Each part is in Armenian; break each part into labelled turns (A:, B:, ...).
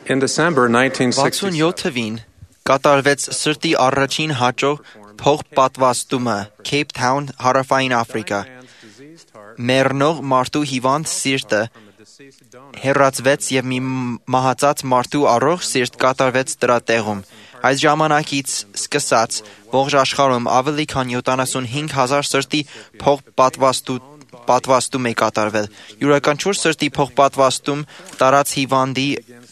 A: In December 1967,
B: 67 թվին կատարվեց սրտի առաջին հաճո փոխպատվաստումը Cape Town, Հարավային Աֆրիկա։ Մեռնող մարդու հիվանդ սիրտը հեռացվեց եւ մի մահացած մարդու առողջ սիրտ կատարվեց դրա տեղում։ Այս ժամանակից սկսած ողջ աշխարհում ավելի քան 75,000 սրտի փոխպատվաստում է կատարվել։ Յուրաքանչյուր սրտի փոխպատվաստում տարած հիվանդի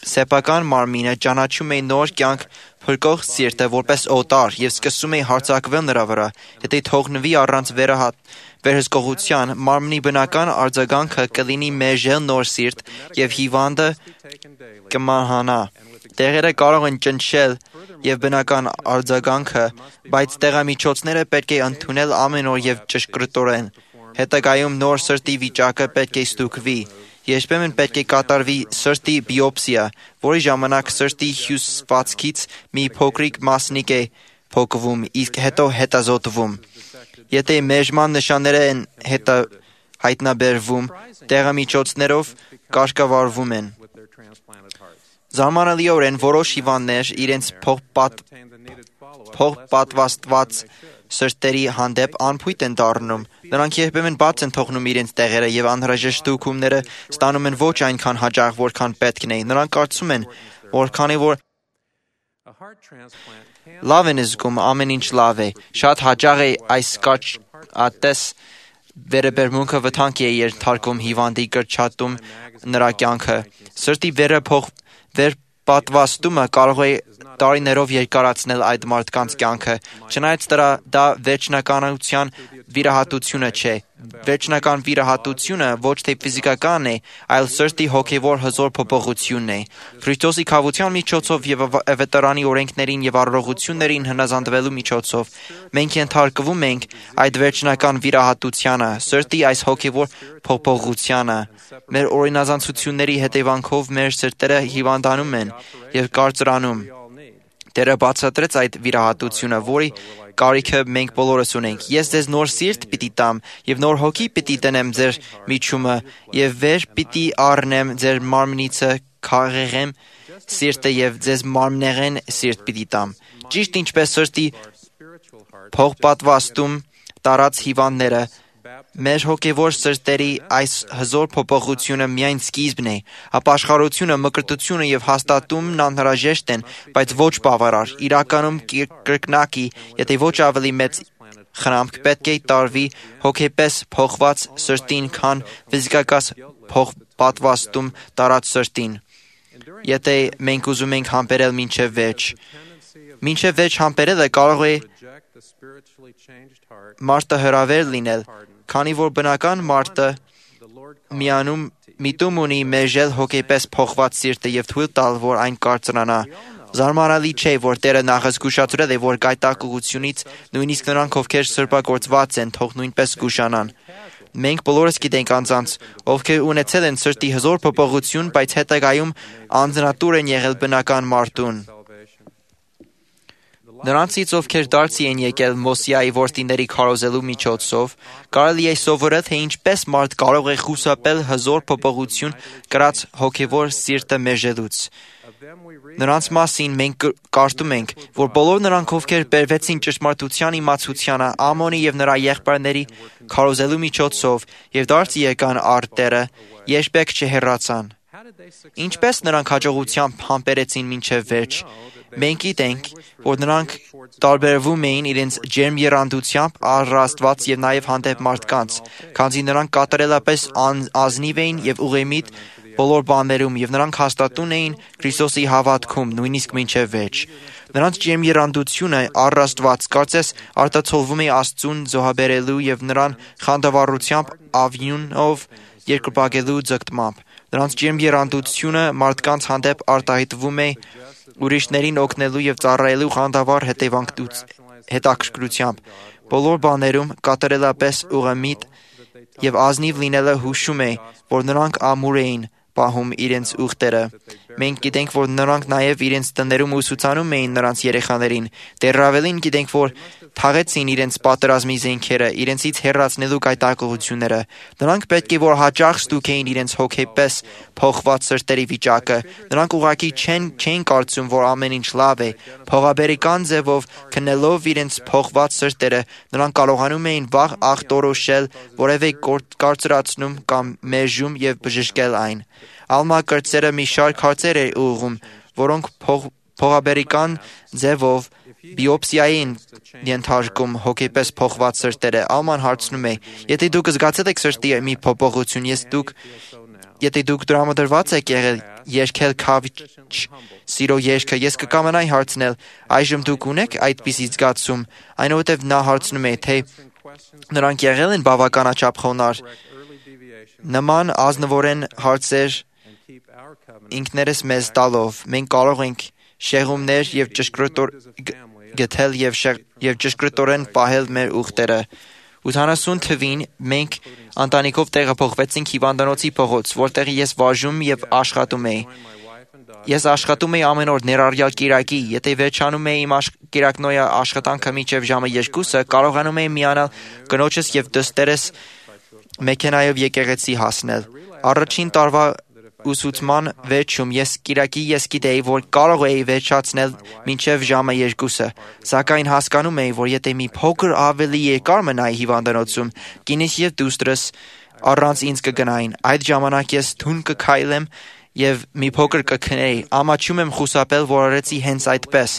B: սեփական մարմինը ճանաչում է նոր կյանք փրկող սիրտը որպես օտար եւ սկսում է հարձակվել նրա վրա։ Եթե թողնվի առանց վերահսկողության, մարմնի բնական արձագանքը կլինի մերժել նոր սիրտ եւ հիվանդը կմահանա։ Տեղերը կարող են ճնշել եւ բնական արձագանքը, բայց տեղամիջոցները պետք է ընդունել ամեն օր եւ ճշգրտորեն։ Հետագայում նոր սրտի վիճակը պետք է ստուգվի։ Երբեմն պետք է կատարվի սրտի բիոպսիա, որի ժամանակ սրտի հյուսվածքից մի փոքրիկ մասնիկ է փոկվում, իսկ հետո հետազոտվում։ Եթե մերժման նշաններ են հայտնաբերվում, տեղամիջոցներով կարգավորվում են։ Զարմանալիորեն որոշ հիվանդներ իրենց փոխպատվաստված սրտերի հանդեպ անփույթ են դառնում։ Նրանք երբեմն բաց են թողնում իրենց տեղերը եւ անհրաժեշտ ստուգումները ստանում են ոչ այնքան հաճախ, որքան պետք է։ Նրանք կարծում են, որ քանի որ լավ են զգում, ամեն ինչ լավ է։ Շատ հաճախ է այս կարճատես վերաբերմունքը վտանգ է ենթարկում հիվանդի կրճատում նրա կյանքը։ Սրտի վերապատվաստումը կարող է տարիներով երկարացնել այդ մարդկանց կյանքը, չնայած դա վերջնականության վիրահատությունը չէ։ Վերջնական վիրահատությունը ոչ թե ֆիզիկական է, այլ սրտի հոգևոր հզոր փոփոխությունն է։ Քրիստոսի քավության միջոցով եւ ավետարանի օրենքներին եւ առողջություններին հնազանդվելու միջոցով մենք ենթարկվում ենք այդ վերջնական վիրահատությանը, սրտի այս հոգևոր փոփոխությանը։ Մեր օրինազանցությունների հետևանքով մեր սրտերը հիվանդանում են եւ կարծրանում։ Տերը բացատրեց այդ վիրահատությունը, որի կարիքը մենք բոլորս ունենք։ Ես ձեզ նոր սիրտ պիտի տամ եւ նոր հոգի պիտի տնեմ ձեր միջումը եւ վեր պիտի առնեմ ձեր մարմնիցը քարեղեմ սիրտը եւ ձեզ մարմնեղեն սիրտ պիտի տամ։ Ճիշտ ինչպես սրտի փոխպատվաստում տարած հիվանդները, մեր հոգևոր սրտերի այս հզոր փոփոխությունը միայն սկիզբն է, ապաշխարությունը, մկրտությունը եւ հաստատումն անհրաժեշտ են, բայց ոչ բավարար։ Իրականում կրկնակի, եթե ոչ ավելի մեծ խնամք պետք է տարվի հոգեպես փոխված սրտին, քան ֆիզիկական փոխպատվաստում տարած սրտին։ Եթե մենք ուզում ենք համբերել մինչև վերջ համբերելը կարող է մարդը հրավեր լինել, քանի որ բնական մարդը միտում ունի մերժել հոգեպես փոխված սիրտը եւ թույլ տալ, որ այն կարծրանա։ Զարմանալի չէ, որ Տերը նախ զգուշացրել է, որ գայթակղությունից նույնիսկ նրանք, ովքեր սրբագործված են, թող նույնպես զգուշանան։ Մենք բոլորս գիտենք անձանց, ովքեր ունեցել են սրտի հզոր փոփոխություն, բայց հետագայում անձնատուր են եղել բնական մարդուն։ Նրանցից, ովքեր դարձի են եկել Մոսիայի որդիների քարոզելու միջոցով, կարելի է սովորել, թե ինչպես մարդ կարող է խուսափել հզոր փոփոխություն կրած հոգևոր սիրտը մերժելուց։ Նրանց մասին մենք կարդում ենք, որ բոլոր նրանք, ովքեր բերվեցին ճշմարտության իմացությանը Ամոնի եւ նրա եղբայրների քարոզելու միջոցով եւ դարձի եկան առ Տերը, երբեք չհեռացան։ Ինչպես նրանք հաջողությամբ համբերեցին մինչև վերջ։ Մենք գիտենք, որ նրանք տարբերվում էին իրենց ջերմ եռանդությամբ առ Աստված եւ նաեւ հանդեպ մարդկանց, քանզի նրանք կատարելապես ազնիվ էին եւ ուղեմիտ բոլոր բաներում եւ նրանք հաստատուն էին Քրիստոսի հավատքում, նույնիսկ մինչև վերջ։ Նրանց ջերմ եռանդությունը առ Աստված կարծես արտացոլվում է Աստծուն զոհաբերելու եւ նրան խանդավառությամբ ավյունով երկրպագելու ձգտմամբ։ Նրանց ջերմ եռանդությունը մարդկանց հանդեպ արտահայտվում է ուրիշներին օգնելու եւ ծառայելու խանդավառ հետաքրքրությամբ։ Բոլոր բաներում կատարելապես ուղեմիտ եւ ազնիվ լինելը հուշում է, որ նրանք ամուր էին պահում իրենց ուխտերը։ Մենք գիտենք, որ նրանք նաև իրենց տներում ուսուցանում էին նրանց երեխաներին։ Դեռ ավելին գիտենք, որ թաղեցին իրենց պատերազմի զենքերը, իրենցից հեռացնելու գայթակղությունները։ Նրանք պետք է որ հաճախ ստուգեին իրենց հոգեպես փոխված սրտերի վիճակը։ Նրանք ուղղակի չէին կարծում, որ ամեն ինչ լավ է։ Փողաբերական ձևով քննելով իրենց փոխված սրտերը, նրանք կարողանում էին վաղ ախտորոշել որևէ կարծրացում կամ մերժում եւ բժշկել այն։ Ալմա կրտսերը մի շարք հարցեր էր ուղղում, որոնք փողաբերական ձևով բիոպսիայի են ենթարկում հոգեպես փոխված սրտերը։ Ալման հարցնում է. եթե դուք զգացել եք սրտի մի փոփոխություն, եթե դուք դրամադրված եք եղել երգել քավիչ սիրո երգը, ես կկամենայի հարցնել, այժմ դուք ունեք այդպիսի զգացում, այնուհետև նա հարցնում է, թե նրանք եղել են բավականաչափ խոնարհ։ Նման ազնվորեն հարցեր ինքներս մեզ տալով, մենք կարող ենք շեղումներ եւ գտել եւ ճշգրտորեն պահել մեր ուխտերը։ 80 թվին մենք ընտանիքով տեղափոխվեցինք հիվանդանոցի փողոց, որտեղ ես վարժում եւ աշխատում էի։ Ես աշխատում էի ամեն օր ներառյալ կիրակի, եթե վերջանում էի իմ կիրակնոյա աշխատանքը մինչև ժամը 2-ը, կարողանում էի միանալ կնոջս եւ դստերս մեքենայով եկեղեցի հասնել։ Առաջին տարվա ուսուցման վերջում ես գիտեի, որ կարող էի վերջացնել մինչև ժամը 2-ը, սակայն հասկանում էի, որ եթե մի փոքր ավելի երկար մնայի հիվանդանոցում, կինս եւ դուստրս առանց ինձ կգնային։ Այդ ժամանակ ես թուն կքայլեմ եւ մի փոքր կքնեի։ Ամաչում եմ խուսափել, որ արեցի հենց այդպես։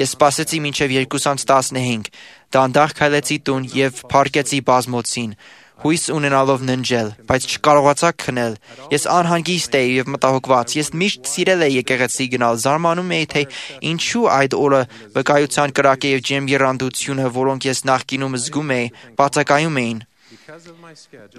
B: Ես սպասեցի մինչև 2:15, դանդաղ քայլեցի տուն եւ փառկեցի բազմոցին, հույս ունենալով ննջել, բայց չկարողացա քնել։ Ես անհանգիստ էի եւ մտահոգված։ Ես միշտ սիրել էի եկեղեցի գնալ, զարմանում էի, թե ինչու այդ օրը վկայության կրակը եւ ջեմ երանդությունը, որոնք ես նախկինում զգում էի, բացակայում էին։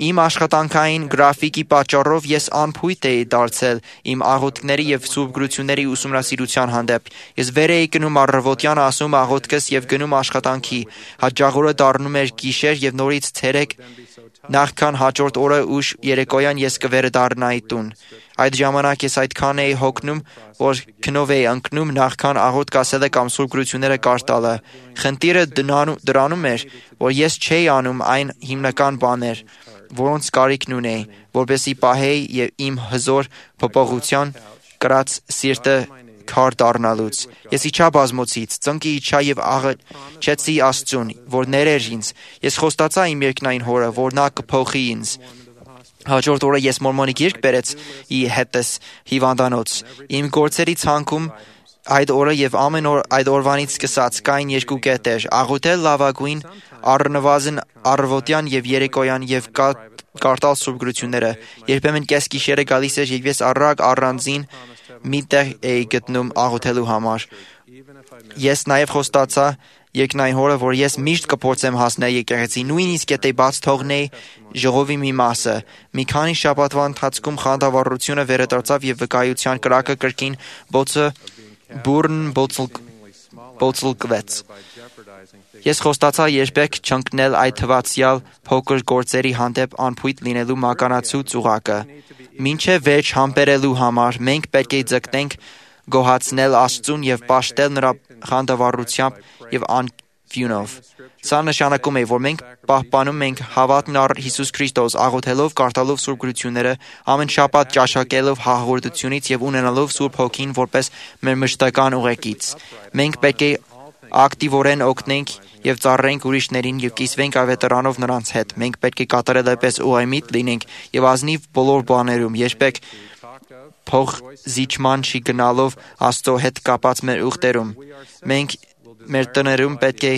B: Իմ աշխատանքային գրաֆիկի պատճառով ես անփույթ էի դարձել իմ աղոթքների եւ սուրբ գրությունների ուսումնասիրության հանդեպ։ Ես վեր էի գնում առավոտյան, ասում աղոթքս եւ գնում աշխատանքի։ Հաջողորը դառնում էր գիշեր եւ նորից ցերեկ, նախքան հաջորդ օրը ուշ երեկոյան ես կվերադառնայի տուն։ Այդ ժամանակ ես այդքան էի հոգնում, որ քնով էի ընկնում նախքան աղոթք ասելը կամ սուրբ գրությունները կարդալը տալը։ Խնդիրը դրանում էր, որ ես չէի անում այն հիմնական բաներ, որոնց կարիքն ունեի, որպեսզի պահեի եւ իմ հզոր փոփոխության կրած սիրտը քար դառնալուց։ Ես իջա բազմոցից, ծնկի իջա եւ աղաչեցի Աստծուն, որ ներեր ինձ։ Ես խոստացա իմ երկնային հորը, որ նա կփոխի ինձ։ Հաջորդ օրը ես մորմոնի գիրք բերեցի հետս հիվանդանոց։ Իմ գործերի ցանկում այդ օրը եւ ամեն օր այդ օրվանից սկսած կային երկու կետեր՝ աղոթել լավագույն առնվազն առավոտյան եւ երեկոյան եւ կարդալ սուրբ գրությունները։ Երբեմն կես գիշերը գալիս էր եւ ես առանձին մի տեղ էի գտնում աղոթելու համար։ Ես նաեւ խոստացա երկնային հորը, որ ես միշտ կփորձեմ հասնել եկեղեցի, նույնիսկ եթե բաց թողնեի ժողովի մի մասը։ Մի քանի շաբաթվա ընթացքում խանդավառությունը վերադարձավ եւ վկայության կրակը կրկին բոցլկվեց։ Ես խոստացա երբեք չընկնել այդ թվացյալ փոքր գործերի հանդեպ անփույթ լինելու մականացու ծուղակը։ Մինչև վերջ համբերելու համար մենք պետք է ձգտենք գոհացնել Աստծուն եւ պաշտել նրա խանդավառությամբ եւ անվյունով։ Սա նշանակում է, որ մենք պահպանում ենք հավատքն առ Հիսուս Քրիստոս, աղոթելով, կարդալով սուրբ գրությունները, ամեն շաբաթ ճաշակելով հաղորդությունից եւ ունենալով Սուրբ Հոգին որպես մեր մշտական ուղեկից։ Մենք պետք է ակտիվորեն օգնենք եւ ծառայենք ուրիշներին եւ կիսվենք ավետարանով նրանց հետ։ Մենք պետք է կատարելապես ուղղամիտ լինենք եւ ազնիվ բոլոր բաներում, երբեք փող զիջման չի գնալով Աստծո հետ կապած մեր ուխտերում։ Մենք մեր տներում պետք է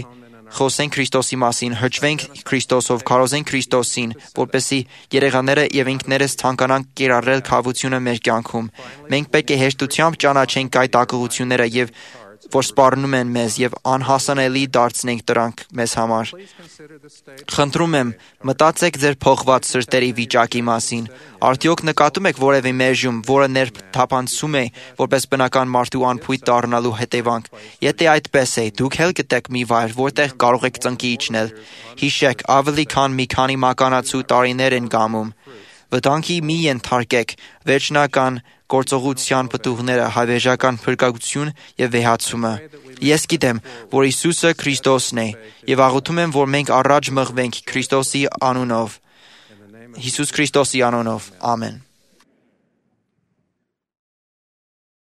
B: խոսենք Քրիստոսի մասին, հրճվենք Քրիստոսով, քարոզենք Քրիստոսին, որպեսզի երեխաները եւ ինքներս ցանկանանք կիրառել քավությունը մեր կյանքում։ Մենք պետք է հեշտությամբ ճանաչենք գայթակղությունները եւ որ սպառնում են մեզ եւ անհասանելի դարձնենք դրանք մեզ համար։ Խնդրում եմ, մտածեք ձեր փոխված սրտերի վիճակի մասին։ Արդյոք նկատում եք որևէ մերժում, որը ներթափանցում է որպես բնական մարդու անփույթ դառնալու հետևանք։ Եթե այդպես է, դուք հել գտեք մի վայր, որտեղ կարող եք ծնկի իջնել։ Հիշեք, ավելի քան մի քանի մականացու տարիներ են գամում, Վտանգի մի ենթարկեք վերջնական գործողության պտուղները, հավերժական փրկagություն եւ վեհացումը։ Ես գիտեմ, որ Հիսուսը Քրիստոսն է, եւ աղոթում եմ, որ մենք առաջ մղվենք Քրիստոսի անունով։ Հիսուս Քրիստոսի անունով։ Ամեն։